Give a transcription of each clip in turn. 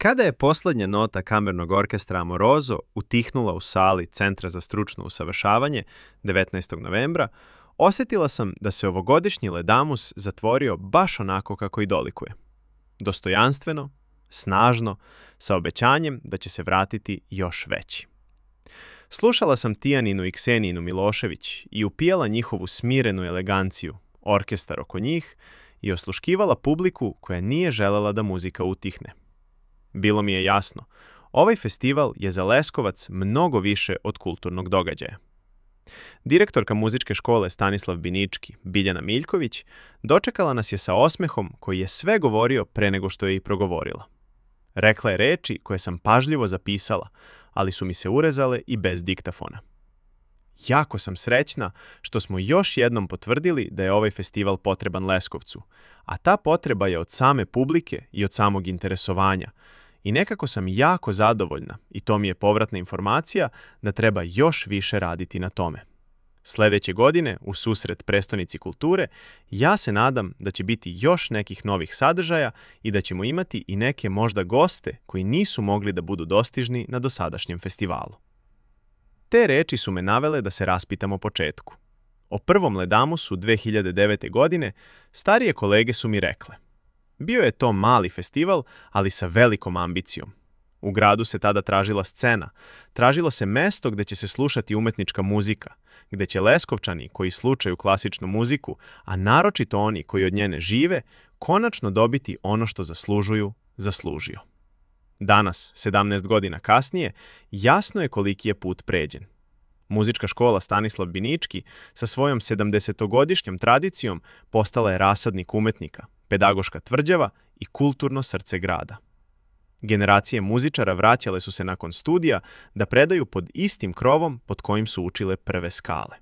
Kada je posljednja nota kamernog orkestra Amoroso utihnula u sali Centra za stručno usavršavanje 19. novembra, osjetila sam da se ovogodišnji Ledamus zatvorio baš onako kako i dolikuje. Dostojanstveno, snažno, sa obećanjem da će se vratiti još veći. Slušala sam Tijaninu i Ksenijinu Milošević i upijala njihovu smirenu eleganciju, orkestar oko njih i osluškivala publiku koja nije želela da muzika utihne. Bilo mi je jasno, ovaj festival je za Leskovac mnogo više od kulturnog događaja. Direktorka muzičke škole Stanislav Binički, Biljana Miljković, dočekala nas je sa osmehom koji je sve govorio pre nego što je i progovorila. Rekla je reči koje sam pažljivo zapisala, ali su mi se urezale i bez diktafona. Jako sam srećna što smo još jednom potvrdili da je ovaj festival potreban Leskovcu, a ta potreba je od same publike i od samog interesovanja. I nekako sam jako zadovoljna, i to mi je povratna informacija, da treba još više raditi na tome. Sljedeće godine, u susret prestonici kulture, ja se nadam da će biti još nekih novih sadržaja i da ćemo imati i neke možda goste koji nisu mogli da budu dostižni na dosadašnjem festivalu. Te reči su me navele da se raspitam o početku. O prvom Ledamusu 2009. godine starije kolege su mi rekle: bio je to mali festival, ali sa velikom ambicijom. U gradu se tada tražila scena, tražilo se mesto gde će se slušati umetnička muzika, gde će Leskovčani koji slušaju klasičnu muziku, a naročito oni koji od nje ne žive, konačno dobiti ono što zaslužio. Danas, 17 godina kasnije, jasno je koliki je put pređen. Muzička škola Stanislav Binički sa svojom 70-godišnjom tradicijom postala je rasadnik umetnika, pedagoška tvrđava i kulturno srce grada. Generacije muzičara vraćale su se nakon studija da predaju pod istim krovom pod kojim su učile prve skale.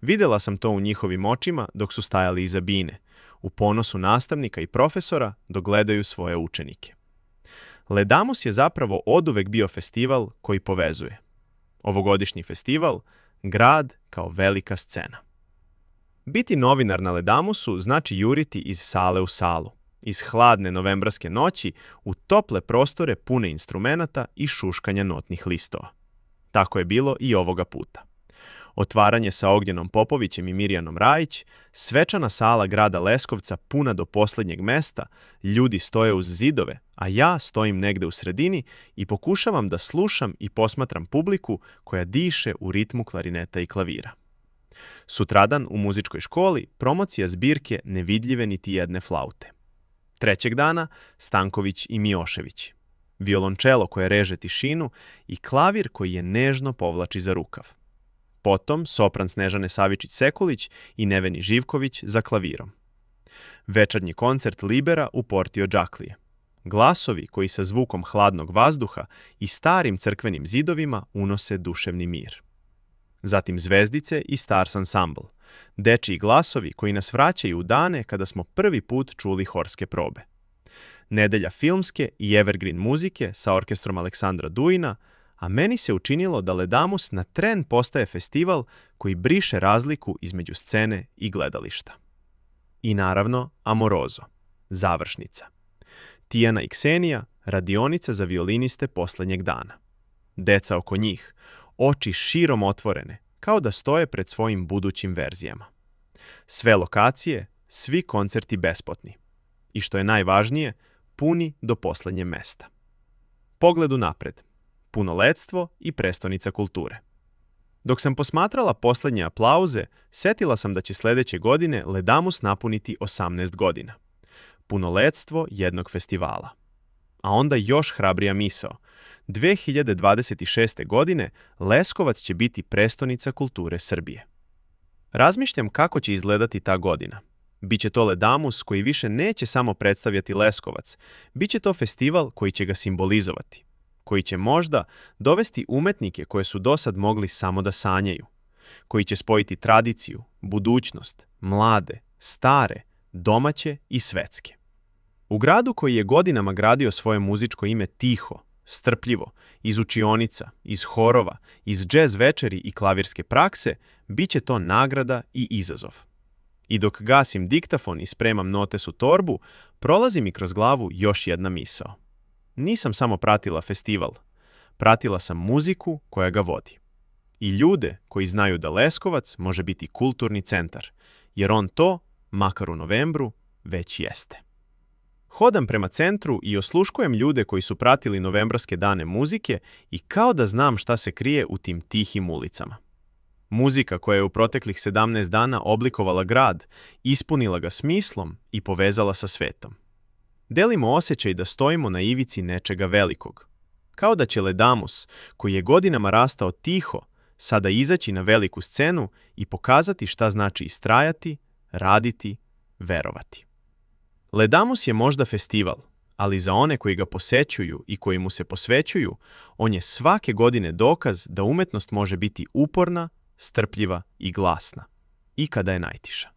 Videla sam to u njihovim očima dok su stajali iza bine, u ponosu nastavnika i profesora dok gledaju svoje učenike. Ledamus je zapravo oduvek bio festival koji povezuje. Ovogodišnji festival, grad kao velika scena. Biti novinar na Ledamusu znači juriti iz sale u salu, iz hladne novembarske noći u tople prostore pune instrumenata i šuškanja notnih listova. Tako je bilo i ovoga puta. Otvaranje sa Ognjenom Popovićem i Mirjanom Rajić, svečana sala grada Leskovca puna do posljednjeg mesta, ljudi stoje uz zidove, a ja stojim negde u sredini i pokušavam da slušam i posmatram publiku koja diše u ritmu klarineta i klavira. Sutradan u muzičkoj školi promocija zbirke Nevidljive niti jedne flaute. Trećeg dana Stanković i Mijošević. Violončelo koje reže tišinu i klavir koji je nežno povlači za rukav. Potom sopran Snežane Savičić-Sekulić i Neveni Živković za klavirom. Večernji koncert Libera u Portio Džaklije. Glasovi koji sa zvukom hladnog vazduha i starim crkvenim zidovima unose duševni mir. Zatim Zvezdice i Stars Ensemble. Dečiji glasovi koji nas vraćaju u dane kada smo prvi put čuli horske probe. Nedelja filmske i evergreen muzike sa orkestrom Aleksandra Dujina, a meni se učinilo da Ledamus na tren postaje festival koji briše razliku između scene i gledališta. I naravno Amoroso, završnica. Tijana i Ksenija, radionica za violiniste posljednjeg dana. Deca oko njih, oči širom otvorene, kao da stoje pred svojim budućim verzijama. Sve lokacije, svi koncerti besplatni. I što je najvažnije, puni do posljednje mesta. Pogled unapred. Punoletstvo i prestonica kulture. Dok sam posmatrala posljednje aplauze, setila sam da će sljedeće godine Ledamus napuniti 18 godina. Punoletstvo jednog festivala. A onda još hrabrija misao. 2026. godine Leskovac će biti prestonica kulture Srbije. Razmišljam kako će izgledati ta godina. Biće to Ledamus koji više neće samo predstavljati Leskovac, biće to festival koji će ga simbolizovati, koji će možda dovesti umetnike koje su dosad mogli samo da sanjaju, koji će spojiti tradiciju, budućnost, mlade, stare, domaće i svetske. U gradu koji je godinama gradio svoje muzičko ime tiho, strpljivo, iz učionica, iz horova, iz džez večeri i klavirske prakse, bit će to nagrada i izazov. I dok gasim diktafon i spremam notes u torbu, prolazi mi kroz glavu još jedna misao. nisam samo pratila festival, pratila sam muziku koja ga vodi. I ljude koji znaju da Leskovac može biti kulturni centar, jer on to, makar u novembru, već jeste. Hodam prema centru i osluškujem ljude koji su pratili novembarske dane muzike i kao da znam šta se krije u tim tihim ulicama. Muzika koja je u proteklih 17 dana oblikovala grad, ispunila ga smislom i povezala sa svetom. Delimo osjećaj da stojimo na ivici nečega velikog. Kao da će Ledamus, koji je godinama rastao tiho, sada izaći na veliku scenu i pokazati šta znači istrajati, raditi, verovati. Ledamus je možda festival, ali za one koji ga posećuju i koji mu se posvećuju, on je svake godine dokaz da umetnost može biti uporna, strpljiva i glasna, i kada je najtiša.